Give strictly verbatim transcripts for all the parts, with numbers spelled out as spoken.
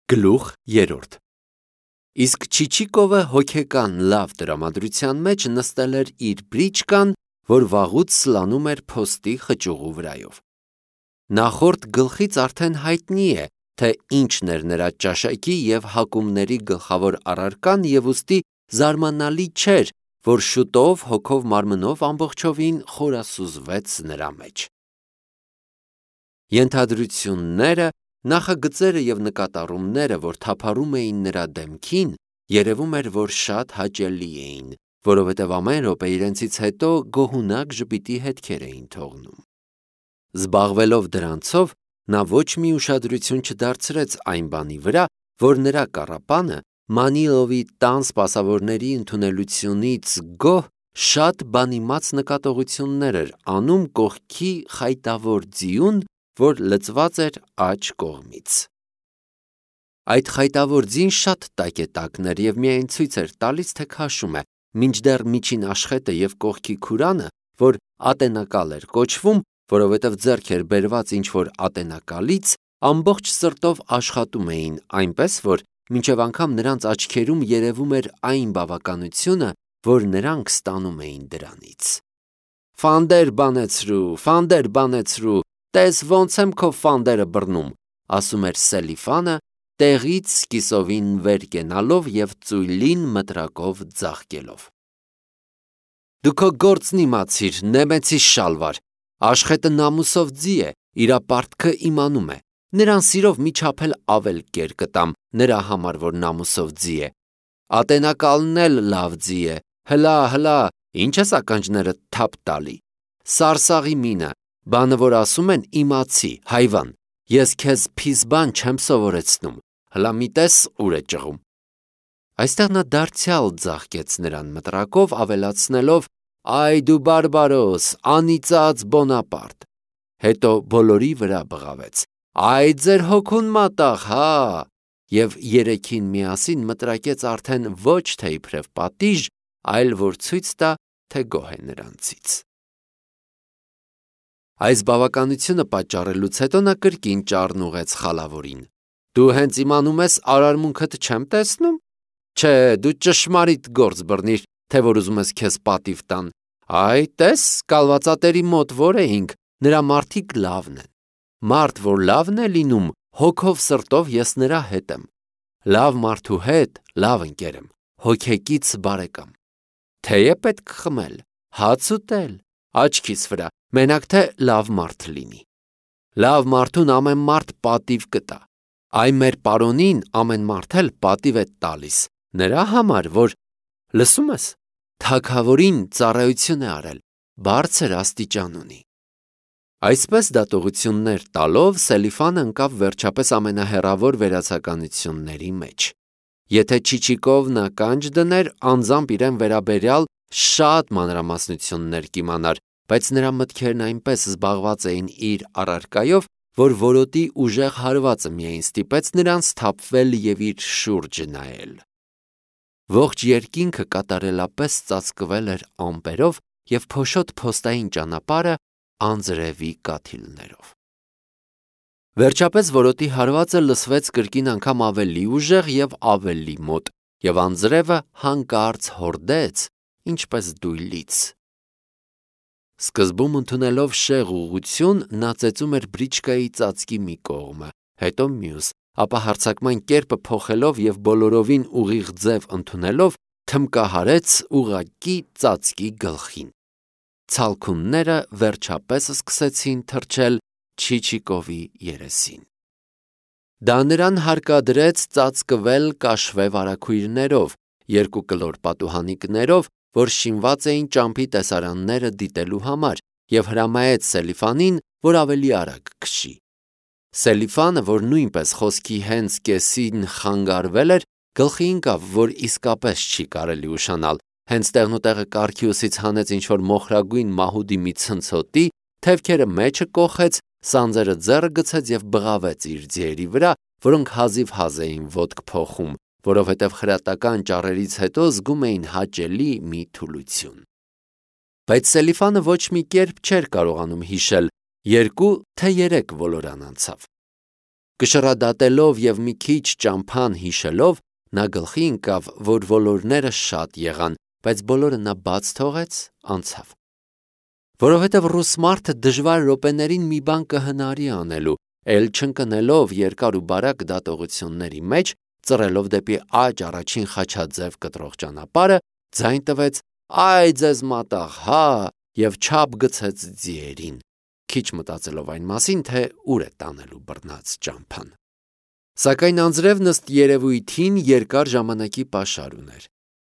Գլուխ երրորդ Իսկ Չիչիկովը հոգեկան լավ տրամադրության մեջ նստել էր իր բրիչկան, որ վաղուց սլանում էր փոստի խճուղու վրայով։ Նախորդ գլխից արդեն հայտնի է, թե ինչն էր նրա ճաշակի և հակումների գլխավոր առարկան, և ուստի զարմանալի չէր, որ շուտով հոգով մարմնով ամբողջովին խորասուզվեց նրա մեջ։ Ենթադրությունները, նախագծերը և նկատառումները, որ թափառում էին նրա դեմքին, երևում էր, որ շատ հաճելի էին, որովհետև ամեն րոպե իրենցից հետո գոհունակ ժպիտի հետքեր էին թողնում։ Զբաղվելով դրանցով, նա ոչ մի ուշադրություն չդարձրեց այն բանի վրա, որ նրա կառապանը Մանիլովի տան սպասավորների ընդունելությունից գոհ շատ բանիմաց նկատողություններ էր անում կողքի խայտավոր ձիուն, որ լցված էր աջ կողմից։ Այդ խայտավոր ձին շատ տակետակն էր և միայն ցույց էր տալիս, թե քաշում է, մինչդեռ միջին աշխետը և կողքի քուրանը, որ ատենակալ էր կոչվում, որովհետև ձեռք էր բերված ինչ-որ ատենակալից, ամբողջ սրտով աշխատում էին, այնպես որ մինչև անգամ նրանց աչքերում երևում էր այն բավականությունը, որ նրանք ստանում էին դրանից։ «Ֆանդեր բանեցրու, ֆանդեր բանեցրու, տես ոնց եմ քո ֆանդերը բռնում», ասում էր Սելիֆանը, տեղից սկիսովին վեր կենալով և ծույլին մտրակով ձաղկելով։ «Դու քո գործն իմացիր, նեմեցի շալվար, աշխետը նամուսով ձի է, իրա պարտքը իմանում է, նրան սիրով մի չափ էլ ավել կեր կտամ, նրա համար, որ նամուսով ձի է, ատենակալն էլ լավ ձի է, հլա, հլա, ինչ ես ականջներդ թափ տալի, սարսաղի մինը, բանը որ ասում են իմացի, հայվան, ես քեզ փիզբան չեմ սովորեցնում, հլա մի տես ուր է ճղում»։ Այստեղ նա դարձյալ ձաղկեց նրան մտրակով, ավելացնելով. «Այ դու բարբարոս, անիծած Բոնապարտ», հետո բոլորի վրա բղավեց. «Այ ձեր հոգուն մատաղ, հա», և երեքին միասին մտրակեց արդեն ոչ թե իբրև պատիժ, այլ որ ցույց տա, թե գոհ է նրանցից։ Այս բավականությունը պատճառելուց հետո նա կրկին ճառն ուղղեց խալավորին. «Դու հենց իմանում ես արարմունքդ չեմ տեսնում, չէ, դու ճշմարիտ գործ բռնիր, թե որ ուզում ես քեզ պատիվ տան, այ տես, կալվածատերի մոտ որ էինք, նրա մարդիկ լավն են, մարդ որ լավն է լինում, հոգով սրտով ես նրա հետ եմ, լավ մարդու հետ լավ ընկեր եմ, հոգեկից բարեկամ, թեյ է պետք խմել, հաց ուտել, աչքիս վրա, մենակ թե լավ մարդ լինի, լավ մարդուն ամեն մարդ պատիվ կտա, այ մեր պարոնին ամեն մարդ էլ պատիվ է տալիս, նրա համար, որ, լսում ես, թագավորին ծառայություն է արել, բարձր աստիճան ունի»։ Այսպես դատողություններ տալով Սելիֆանը ընկավ վերջապես ամենահեռավոր վերացականությունների մեջ։ Եթե Չիչիկովն ականջ դներ, անձամբ իրեն վերաբերյալ շատ մանրամասնություններ կիմանար, բայց նրա մտքերն այնպես զբաղված էին իր առարկայով, որ որոտի ուժեղ հարվածը միայն ստիպեց նրան սթափվել և իր շուրջը նայել։ Ողջ երկինքը կատարելապես ծածկվել էր ամպերով և փոշոտ փոստային ճանապարհը անձրևի կաթիլներով։ Վերջապես որոտի հարվածը լսվեց կրկին անգամ ավելի ուժեղ և ավելի մոտ, և անձրևը հանկարծ հորդեց, ինչպես դույլից։ Սկզբում ընդունելով շեղ ուղղություն, նա ծեծում էր բրիչկայի ծածկի մի կողմը, հետո մյուս, ապա հարձակման կերպը փոխելով և բոլորովին ուղիղ ձև ընդունելով, թմկահարեց ուղղակի ծածկի գլխին։ Ցալքունները վերջապես սկսեցին թռչել Չիչիկովի երեսին։ Դա նրան հարկադրեց ծածկվել կաշվե վարագույրներով, երկու կլոր պատուհանիկներով, որ շինված էին ճամփի տեսարանները դիտելու համար, և հրամայեց Սելիֆանին, որ ավելի արագ քշի։ Սելիֆանը, որ նույնպես խոսքի հենց կեսին խանգարվել էր, գլխի ընկավ, որ իսկապես չի կարելի ուշանալ, հենց տեղնուտեղը կառքի ուսից հանեց ինչ-որ մոխրագույն մահուդի մի ցնցոտի, թևքերը մեջը կոխեց, սանձերը ձեռը գցեց և բղավեց իր ձիերի վրա, որոնք հազիվ-հազ էին ոտք փոխում, որովհետև խրատական ճառերից հետո զգում էին հաճելի մի թուլություն։ Բայց Սելիֆանը ոչ մի կերպ չէր կարողանում հիշել, երկու թե երեք ոլորան անցավ։ Կշռադատելով և մի քիչ ճամփան հիշելով, նա գլխի ընկավ, որ ոլորները շատ եղան, բայց բոլորը նա բաց թողեց, անցավ։ Որովհետև ռուս մարդը դժվար րոպեներին մի բան կհնարի անելու, էլ չընկնելով երկար ու բարակ դատողությունների մեջ, ծռելով դեպի աջ առաջին խաչաձև կտրող ճանապարհը, ձայն տվեց. «Այ ձեզ մատաղ, հա», և չափ գցեց ձիերին, քիչ մտածելով այն մասին, թե ուր է տանելու բռնած ճամփան։ Սակայն անձրևն ըստ երևույթին երկար ժամանակի պաշար ուներ։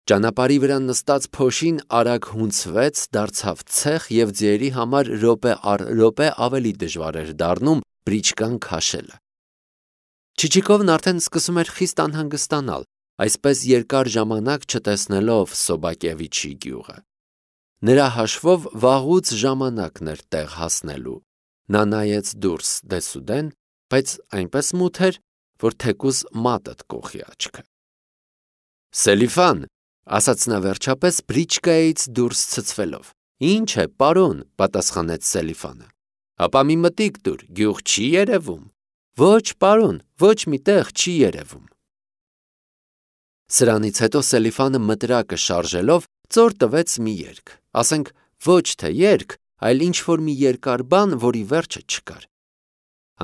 Ճանապարհի վրա նստած փոշին արագ հունցվեց, դարձավ ցեխ և ձիերի համար րոպե առ րոպե ավելի դժվար էր դառնում բրիչկան քաշելը։ Չիչիկովն արդեն սկսում էր խիստ անհանգստանալ, այսպես երկար ժամանակ չտեսնելով Սոբակևիչի գյուղը։ Նրա հաշվով վաղուց ժամանակն էր տեղ հասնելու։ Նա նայեց դուրս դեսուդեն, բայց այնպես մութ էր, որ թեկուզ մատդ կոխի աչքը։ «Սելիֆան», ասաց նա վերջապես բրիչկայից դուրս ցցվելով։ «Ինչ է, պարոն», պատասխանեց Սելիֆանը։ «Հապա մի մտիկ տուր, գյուղ չի երևում»։ «Ոչ, պարոն, ոչ մի տեղ չի երևում»։ Սրանից հետո Սելիֆանը մտրակը շարժելով ծոր տվեց մի երգ, ասենք ոչ թե երգ, այլ ինչ-որ մի երկար բան, որի վերջը չկար։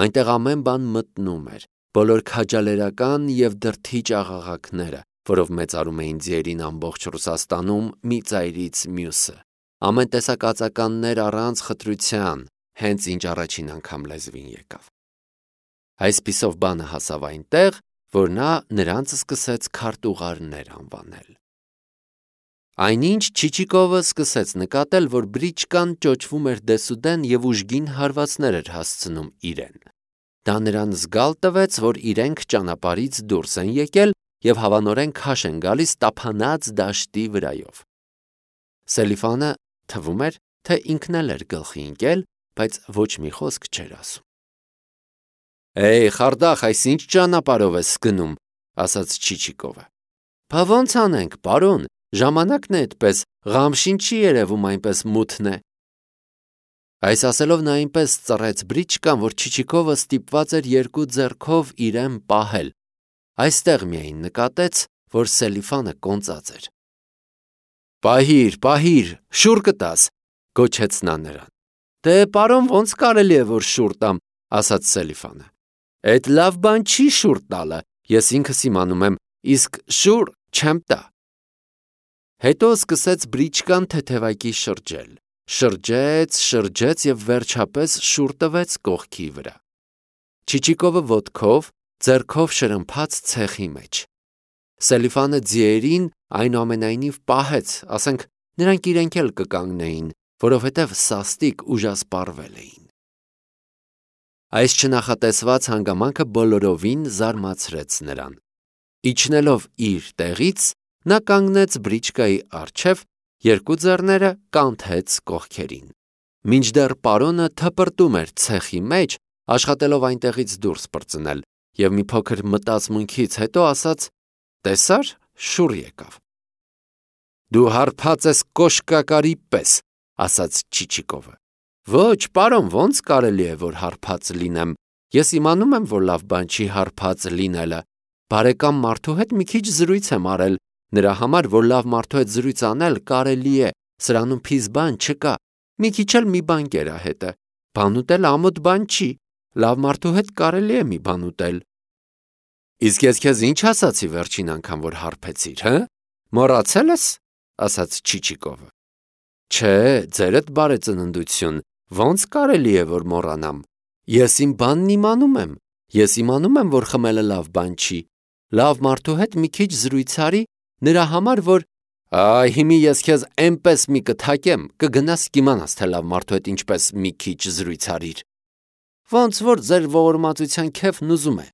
Այնտեղ ամեն բան մտնում էր, բոլոր քաջալերական և դրդիչ աղաղակները, որով մեծարում էին ձիերին ամբողջ Ռուսաստանում մի ծայրից մյուսը, ամեն տեսակ ածականներ առանց խտրության, հենց ինչ առաջին անգամ լեզվին եկավ։ Այսպիսով բանը հասավ այնտեղ, որ նա նրանց սկսեց քարտուղարներ անվանել։ Այնինչ Չիչիկովը սկսեց նկատել, որ բրիչկան ճոճվում էր դեսուդեն և ուժգին հարվածներ էր հասցնում իրեն։ Դա նրան զգալ տվեց, որ իրենք ճանապարհից դուրս են եկել և հավանորեն քաշ են գալիս տափանած դաշտի վրայով։ Սելիֆանը թվում էր, թե ինքն էլ էր գլխի ընկել, բայց ոչ մի խոսք չէր ասում։ «Էյ, խարդախ, այս ինչ ճանապարհով ես գնում», ասաց Չիչիկովը։ «Բա ոնց անենք, պարոն, ժամանակն է այդպես, Ղամշին չի երևում, այնպես մութն է»։ Այս ասելով նա այնպես ծռեց բրիչկան, որ Չիչիկովը ստիպված էր երկու ձեռքով իրեն պահել։ Այստեղ միայն նկատեց, որ Սելիֆանը կոնծած էր։ «Պահիր, պահիր, շուռ կտաս», գոչեց նա նրան։ «Դե, պարոն, ոնց կարելի է, որ շուռ տամ», ասաց Սելիֆանը։ «Էդ լավ բան չի շուռ տալը, ես ինքս իմանում եմ, իսկ շուռ չեմ տա»։ Հետո սկսեց բրիչկան թեթևակի շրջել։ Շրջեց, շրջեց և վերջապես շուռ տվեց կողքի վրա։ Չիչիկովը ոտքով, ձեռքով շրմփաց ցեխի մեջ։ Սելիֆանը ձիերին այնուամենայնիվ պահեց, ասենք նրանք իրենք էլ կկանգնեին, որովհետև սաստիկ ուժասպառվել էին։ Այս չնախատեսված հանգամանքը բոլորովին զարմացրեց նրան։ Իջնելով իր տեղից, նա կանգնեց բրիչկայի առջև, երկու ձեռները կանթեց կողքերին։ Մինչդեռ պարոնը թպրտում էր ցեխի մեջ, աշխատելով այնտեղից դուրս պրծնել, և մի փոքր մտածմունքից հետո ասաց. «Տեսա՞ր, շուռ եկավ»։ «Դու հարբած ես կոշկակարի պես», ասաց Չիչիկովը։ «Ոչ, պարոն, ոնց կարելի է, որ հարբած լինեմ, ես իմանում եմ, որ լավ բան չի հարբած լինելը, բարեկամ մարդու հետ մի քիչ զրույց եմ արել, նրա համար, որ լավ մարդու հետ զրույց անել կարելի է, սրանում փիզ բան չկա, մի քիչ էլ մի բան կերա հետը, բան ուտել ամոթ բան չի, լավ մարդու հետ կարելի է մի բան ուտել»։ «Իսկ ես քեզ ինչ ասացի վերջին անգամ, որ հարբեցիր, հը, մոռացել ես», ասաց Չիչիկովը։ «Չէ, ձերդ բարեծննդություն, ոնց կարելի է, որ մոռանամ, ես իմ բանն իմանում եմ, ես իմանում եմ, որ խմելը լավ բան չի, լավ մարդու հետ մի քիչ զրույց արի, նրա համար, որ… Այ հիմի ես քեզ էնպես մի կթակեմ, կգնաս կիմանաս, թե լավ մարդու հետ ինչպես մի քիչ զրույց արիր»։ «Ոնց որ ձեր ողորմածության քեֆն ուզում է»,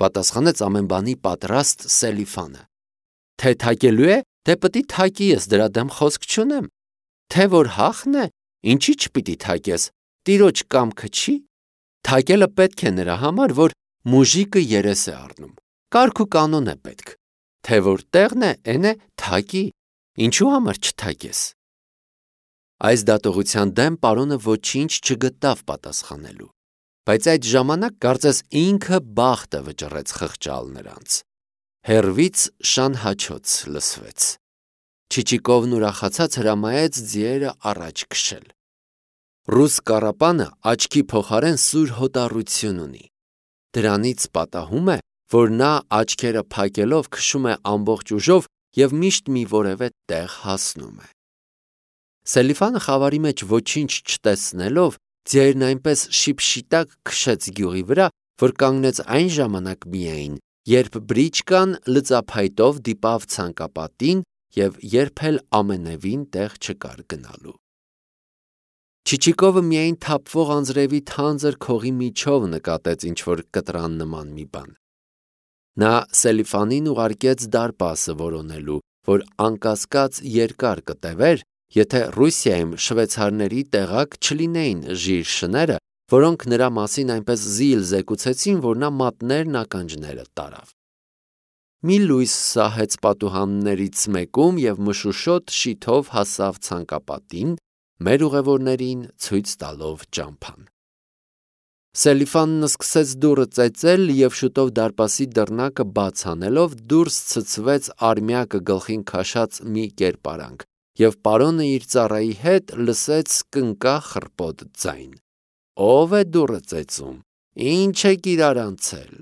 պատասխանեց ամեն բանի պատրաստ Սելիֆանը։ «Թե թակելու է, թե պիտի թակի, ես դրա դեմ խոսք չունեմ, թե որ հախն է, ինչի չպիտի թակես, տիրոջ կամքը չի, թակելը պետք է նրա համար, որ մուժիկը երես է առնում, կարգ ու կանոն է պետք, թե որ տեղն է, էն է թակի, ինչու համար չթակես»։ Այս դատողության դեմ պարոնը ոչինչ չգտավ պատասխանելու։ Բայց այդ ժամանակ կարծես ինքը բախտը վճռեց խղճալ նրանց։ Հեռվից շան հաչոց լսվեց։ Չիչիկովն ուրախացած հրամայեց ձիերը առաջ քշել։ Ռուս կառապանը աչքի փոխարեն սուր հոտառություն ունի։ Դրանից պատահում է, որ նա աչքերը փակելով քշում է ամբողջ ուժով և միշտ մի որևէ տեղ հասնում է։ Սելիֆանը խավարի մեջ ոչինչ չտեսնելով, ձիերն այնպես շիպշիտակ քշեց գյուղի վրա, որ կանգնեց այն ժամանակ միայն, երբ բրիչկան լծափայտով դիպավ ցանկապատին և երբ էլ ամենևին տեղ չկար գնալու։ Չիչիկովը միայն թափվող անձրևի թանձր քողի միջով նկատեց ինչ-որ կտրան նման մի բան։ Նա Սելիֆանին ուղարկեց դարպասը որոնելու, որ անկասկած երկար կտևեր, եթե Ռուսիայում շվեյցարների տեղակ չլինեին ժիր շները, որոնք նրա մասին այնպես զիլ զեկուցեցին, որ նա մատներն ականջները տարավ։ Մի լույս սահեց պատուհաններից մեկում և մշուշոտ շիթով հասավ ցանկապատին, մեր ուղևորներին ցույց տալով ճամփան։ Սելիֆանն սկսեց դուռը ծեծել և շուտով դարպասի դռնակը բաց անելով դուրս ցցվեց արմյակը գլխին քաշած մի կերպարանք, և պարոնը իր ծառայի հետ լսեց կնկա խռպոտ ձայն. «Ո՞վ է դուռը ծեծում, ի՞նչ եք իրարանցել»։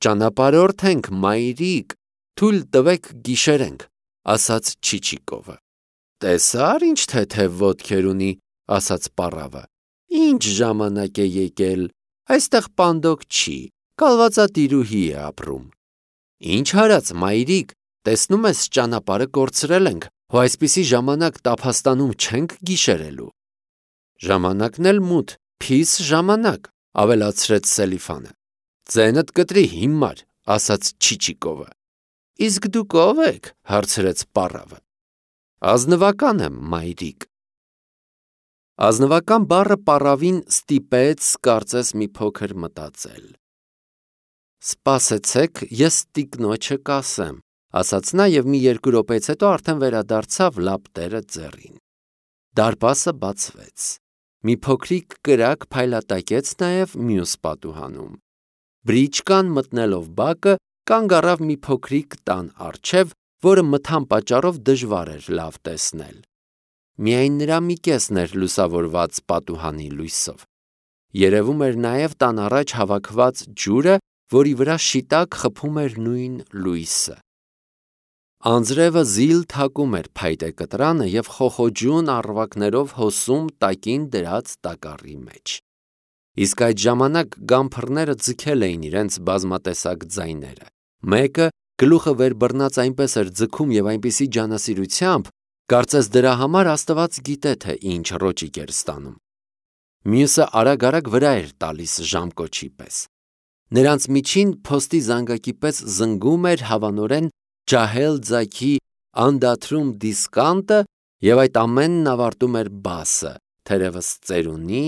«Ճանապարհորդ ենք, մայրիկ, թույլ տվեք գիշերենք», ասաց Չիչիկովը։ «Տեսա՞ր ինչ թեթև ոտքեր ունի», ասաց պառավը։ «Ինչ ժամանակ է եկել, այստեղ պանդոկ չի, կալվածատիրուհի է ապրում»։ «Ինչ արած, մայրիկ, տեսնում ես ճանապարհը կորցրել ենք, հո այսպիսի ժամանակ տափաստանում չենք գիշերելու»։ «Ժամանակն էլ մութ, փիս ժամանակ», ավելացրեց Սելիֆանը։ «Ձենդ կտրի հիմար», ասաց Չիչիկովը։ «Իսկ դուք ո՞վ եք», հարցրեց պառավը։ «Ազնվական եմ, մայրիկ»։ Ազնվական բառը պառավին ստիպեց կարծես մի փոքր մտածել։ «Սպասեցեք, ես տիկնոջը կասեմ», ասաց նա և մի երկու րոպեից հետո արդեն վերադարձավ լապտերը ձեռին։ Դարպասը բացվեց։ Մի փոքրիկ կրակ փայլատակեց նաև մյուս պատուհանում։ Բրիչկան մտնելով բակը կանգ առավ մի փոքրիկ տան առջև, որը մթան պատճառով դժվար էր լավ տեսնել։ Միայն նրա մի կեսն էր լուսավորված պատուհանի լույսով։ Երևում էր նաև տան առաջ հավաքված ջուրը, որի վրա շիտակ խփում էր նույն լույսը։ Անձրևը զիլ թակում էր փայտե կտրանը և խոխոջուն առվակներով հոսում տակին դրած տակառի մեջ։ Իսկ այդ ժամանակ գամփռները ձգել էին իրենց բազմատեսակ ձայները։ Մեկը գլուխը վեր բռնած այնպես էր ձգում և այնպիսի ջանասիրությամբ, կարծես դրա համար Աստված գիտե, թե ինչ ռոճիկ էր ստանում։ Մյուսը արագ-արագ վրա էր տալիս ժամկոչի պես։ Նրանց միջին փոստի զանգակի պես զնգում էր հավանորեն ջահել ձագի անդադրում դիսկանտը, և այդ ամենն ավարտում էր բասը, թերևս ծերունի,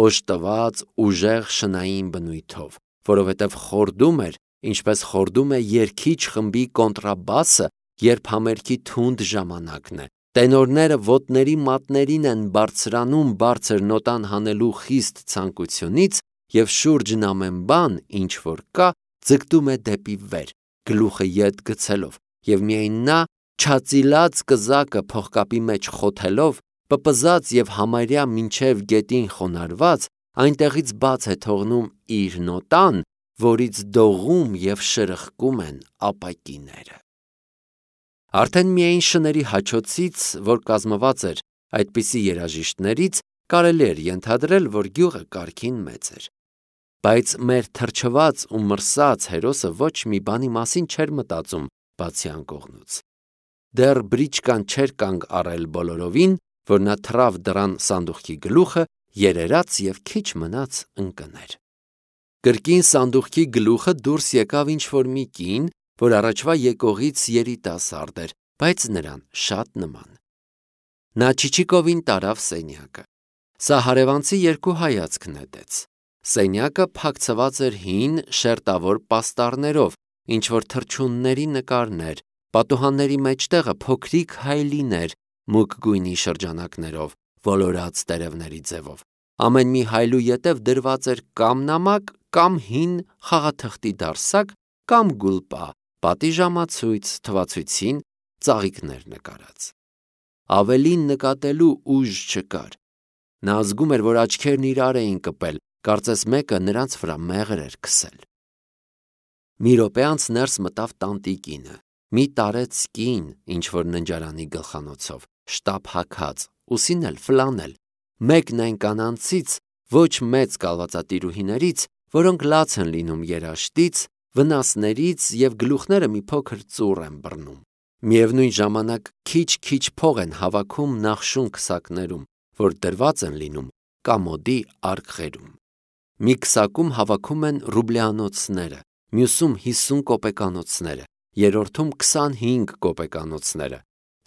օժտված, ուժեղ շնային բնույթով, որովհետև խորդում էր, ինչպես խորդում է երգիչ խմբի կոնտրաբասը, երբ համերգի թունդ ժամանակն է, տենորները ոտների մատներին են բարձրանում բարձր նոտան հանելու խիստ ցանկությունից, և շուրջն ամեն բան, ինչ որ կա, ձգտում է դեպի վեր, գլուխը ետ գցելով, և միայն նա, չածիլած կզակը փողկապի մեջ խոթելով, պպզած և համարյա մինչև գետին խոնարհված, այնտեղից բաց է թողնում իր նոտան, որից դողում և շրխկում են ապակիները։ Արդեն միայն շների հաչոցից, որ կազմված էր այդպիսի երաժիշտներից, կարելի էր ենթադրել, որ գյուղը կարգին մեծ էր։ Բայց մեր թրջված ու մրսած հերոսը ոչ մի բանի մասին չէր մտածում, բացի անկողնուց։ Դեռ բրիչկան չէր կանգ առել բոլորովին, որ նա թռավ դռան սանդուղքի գլուխը, երերաց և քիչ մնաց ընկներ։ Կրկին սանդուղքի գլուխը դուրս եկավ ինչ-որ մի կին, որ առաջվա եկողից երիտասարդ էր, բայց նրան շատ նման։ Նա Չիչիկովին տարավ սենյակը։ Սա հարևանցի երկու հայացք նետեց։ Սենյակը փակցված էր հին, շերտավոր պաստառներով, ինչ-որ թռչունների նկարներ, պատուհանների մեջտեղը փոքրիկ հայելիներ, մուգ գույնի շրջանակներով, ոլորած տերևների ձևով, Ամեն մի հայլու ետև դրված էր կամ նամակ, կամ հին խաղաթղթի դարսակ, կամ գուլպա, պատի ժամացույց, թվացույցին ծաղիկներ նկարած։ Ավելին նկատելու ուժ չկար։ Նա զգում էր, որ աչքերն իրար էին կպել, կարծես մեկը նրանց վրա մեղր էր քսել։ Մի րոպե անց ներս մտավ տանտիկինը, մի տարեց կին, ինչ-որ ննջարանի գլխանոցով, շտապ հագած, ուսին էլ ֆլանել, մեկն այն կանանցից, ոչ մեծ կալվածատիրուհիներից, որոնք լաց են լինում երաշտից, վնասներից և գլուխները մի փոքր ծուռ են բռնում։ Միևնույն ժամանակ քիչ-քիչ փող են հավաքում նախշուն քսակներում, որ դրված են լինում կամոդի արկղերում։ Մի քսակում հավաքում են ռուբլյանոցները, մյուսում հիսուն կոպեկանոցները, երրորդում քսանհինգ կոպեկանոցները,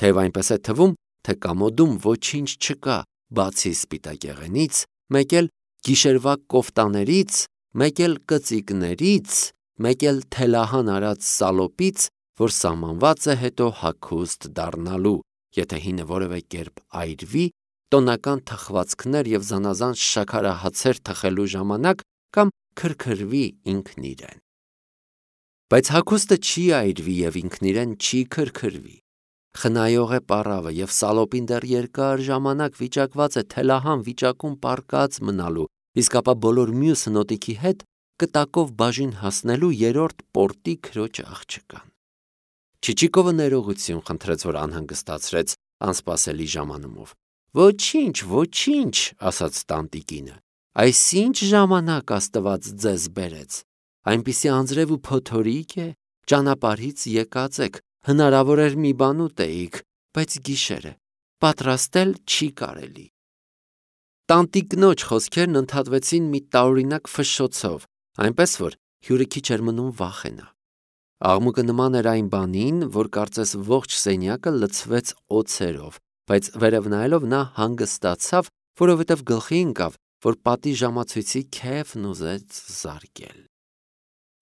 թեև այնպես է թվում, թե կամոդում ոչինչ չկա, բացի սպիտակեղենից, մեկ էլ գիշերվա կոֆտաներից, մեկ էլ կծիկներից, մեկ էլ թելահան արած սալոպից, որ սահմանված է հետո հագուստ դառնալու, եթե հինը որևէ կերպ այրվի, տոնական թխվածքներ և զանազան շաքարահացեր թխելու ժամանակ կամ քրքրվի ինքն իրեն։ Բայց հագուստը չի այրվի և ինքն իրեն չի քրքրվի։ Խնայող է պառավը և սալոպին դեռ երկար ժամանակ վիճակված է թելահան վիճակում պառկած մնալու, իսկ ապա բոլոր մյուս հնոտիքի հետ կտակով բաժին հասնելու երրորդ պորտի քրոջ աղջկան։ Չիչիկովը ներողություն խնդրեց, որ անհանգստացրեց անսպասելի ժամանումով։ Ոչինչ, ոչինչ, ասաց տանտիկինը, այս ինչ ժամանակ Աստված ձեզ բերեց, այնպիսի անձրև ու փոթորիկ է, ճանապարհից եկած եք, հնարավոր էր մի բան ուտեիք, բայց գիշեր է, պատրաստել չի կարելի։ Տանտիկնոջ խոսքերն ընդհատվեցին մի տարօրինակ ֆշշոցով, այնպես որ հյուրը քիչ էր մնում վախենա։ Աղմուկը նման էր այն բանին, որ կարծես ողջ սենյակը լցվեց օձերով, բայց վերև նայելով նա հանգստացավ, որովհետև գլխի ընկավ, որ պատի ժամացույցի քեֆն ուզեց զարկել։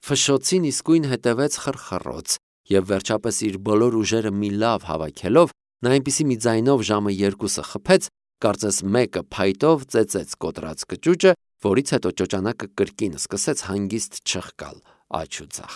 Ֆշշոցին իսկույն հետևեց խռխռոց, և վերջապես իր բոլոր ուժերը մի լավ հավաքելով, նա այնպիսի մի ձայնով ժամը երկուսը խփեց, կարծես մեկը փայտով ծեծեց կոտրած կճուճը, որից հետո ճոճանակը կրկին սկսեց հանգիստ չխկալ աջ ու ձախ։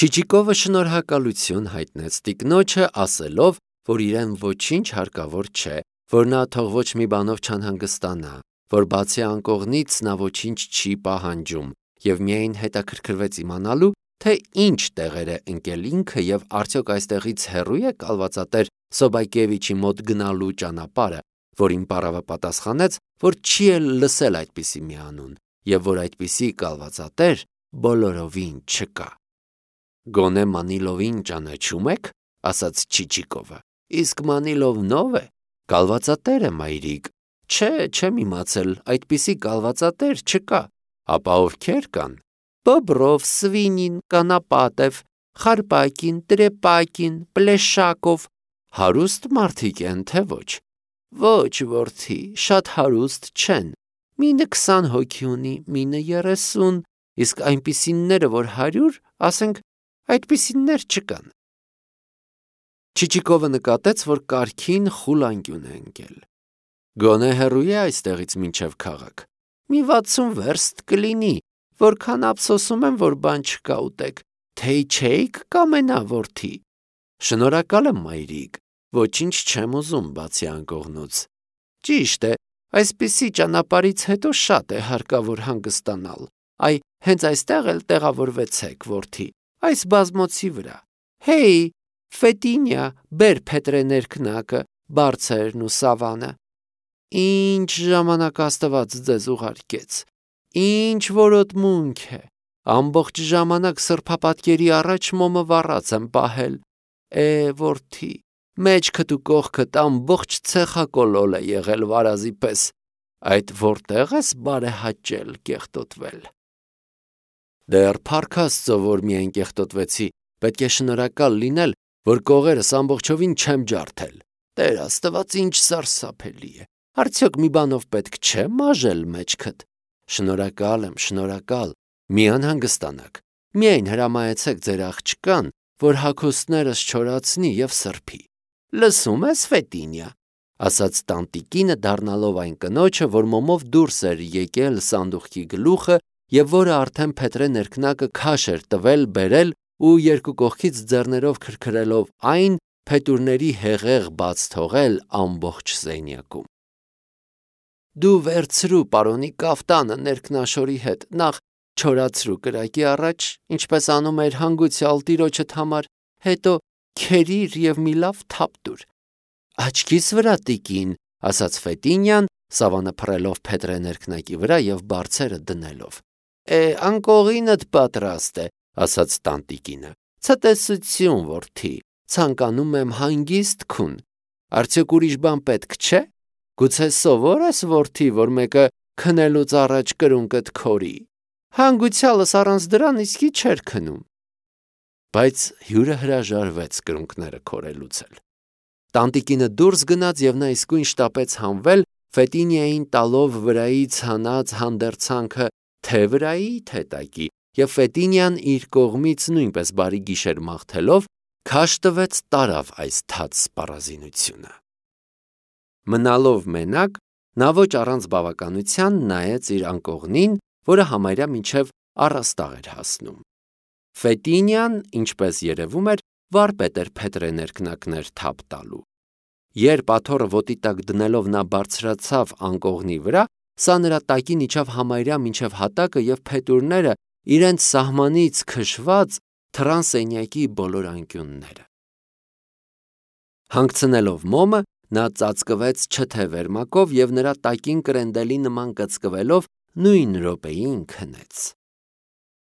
Չիչիկովը շնորհակալություն հայտնեց տիկնոջը, ասելով, որ իրեն ոչինչ հարկավոր չէ, որ նա թող ոչ մի բանով չանհանգստանա, որ բացի անկողնից նա ոչինչ չի պահանջում, և միայն հետաքրքրվեց իմանալու, թե ինչ տեղեր է ընկել ինքը և արդյոք այստեղից հեռու է կալվածատեր Սոբակևիչի մոտ գնալու ճանապարհը, որին պառավը պատասխանեց, որ չի էլ լսել այդպիսի մի անուն, և որ այդպիսի կալվածատեր բոլորովին չկա։ Գոնե Մանիլովին ճանաչում եք, ասաց Չիչիկովը, իսկ Մանիլովն ով է, կալվածատեր է, մայրիկ, չէ, չեմ իմացել, այդպիսի կալվածատեր չկա, ապա ովքեր կան, Բոբրով, Սվինին, Կանապատև, Խարպակին, Տրեպակին, Պլեշակով, հարուստ մարդիկ են, թե ոչ, ոչ, որդի, շատ հարուստ չեն, մինը քսան հոգի ունի, մինը երեսուն, իսկ այնպիսինները, որ հարյուր, ասենք, այդպիսիններ չկան։ Չիչիկովը նկատեց, որ կարգին խուլ անկյուն է ընկել։ Գոնե հեռու է այստեղից մինչև քաղաք։ Մի վաթսուն վերստ կլինի, որքան ափսոսում եմ, որ բան չկա ուտեք, թե չէիք կամենա, որդի։ Շնորհակալ եմ, մայրիկ, ոչինչ չեմ ուզում բացի անկողնուց։ Ճիշտ է, այսպիսի ճանապարհից հետո շատ է հարկավոր հանգստանալ։ Այ հենց այստեղ էլ տեղավորվեցեք, որդի, այս բազմոցի վրա։ Հեյ, Ֆետինյա, բեր փետրե ներքնակը, բարձերն ու սավանը։ Ինչ ժամանակ Աստված ձեզ ուղարկեց, ինչ որոտմունք է, ամբողջ ժամանակ սրբապատկերի առաջ մոմը վառած եմ պահել, է, որդի, մեջքդ ու կողքդ ամբողջ ցեխակոլոլ է եղել վարազի պես, այդ որտեղ ես բարեհաճել կեղտոտվել։ Դեռ փառք Աստծո, որ միայն կեղտոտվեցի, պետք է շնորհակալ լինել, որ կողերս ամբողջովին չեմ ջարդել, Տեր Աստված ինչ սարսափելի է, արդյոք մի բանով պետք չէ մաժել մեջքդ, շնորհակալ եմ, շնորհակալ, մի անհանգստանաք, միայն հրամայեցեք ձեր աղջկան, որ հագուստներս չորացնի և սրբի, լսում ես Ֆետինյա, ասաց տանտիկինը, դառնալով այն կնոջը, որ մոմով դուրս էր եկել սանդուղքի գլուխը եւ որը արդեն փետրե ներքնակը քաշ էր տվել, բերել ու երկու կողքից ձեռներով քրքրելով այն, փետուրների հեղեղ բաց թողել ամբողջ սենյակում։ Դու վերցրու պարոնի կաֆտանը ներքնաշորի հետ, նախ չորացրու կրակի առաջ, ինչպես անում էր հանգուցյալ տիրոջդ համար, հետո քերիր եւ մի լավ թափ տուր։ Աչքիս վրա տիկին, ասաց Ֆետինյան, սավանը փռելով փետրե ներքնակի վրա եւ բարձերը դնելով։ Է, անկողինդ պատրաստ է, ասաց տանտիկինը։ Ցտեսություն, որդի, ցանկանում եմ հանգիստ քուն։ Արդյոք ուրիշ բան պետք չէ։ Գուցե սովոր ես, որդի, որ մեկը քնելուց առաջ կրունկդ քորի։ Հանգուցյալս առանց դրան իսկի չէր քնում։ Բայց հյուրը հրաժարվեց կրունկները քորելուց էլ։ Տանտիկինը դուրս գնաց եւ նա իսկույն շտապեց հանվել, Ֆետինիային տալով վրայից հանած հանդերձանքը թե վրայի, թե տակի, եւ Ֆետինիան իր կողմից նույնպես բարի գիշեր մաղթելով քաշ տվեց տարավ այս թաց սպառազինությունը։ Մնալով մենակ, նա ոչ առանց բավականության նայեց իր անկողնին, որը համարյա մինչև առաստաղ էր հասնում։ Ֆետինիան, ինչպես երևում էր, վարպետ էր փետրե ներքնակներ թափ տալու։ Երբ աթոռը ոտի տակ դնելով նա բարձրացավ անկողնի վրա, սա նրա տակին իջավ համարյա մինչև հատակը եւ փետուրները իրենց սահմանից քշված թռան սենյակի բոլոր անկյունները։ Հանգցնելով մոմը, նա ծածկվեց չթե վերմակով եւ նրա տակին կրենդելի նման կծկվելով նույն րոպեին քնեց։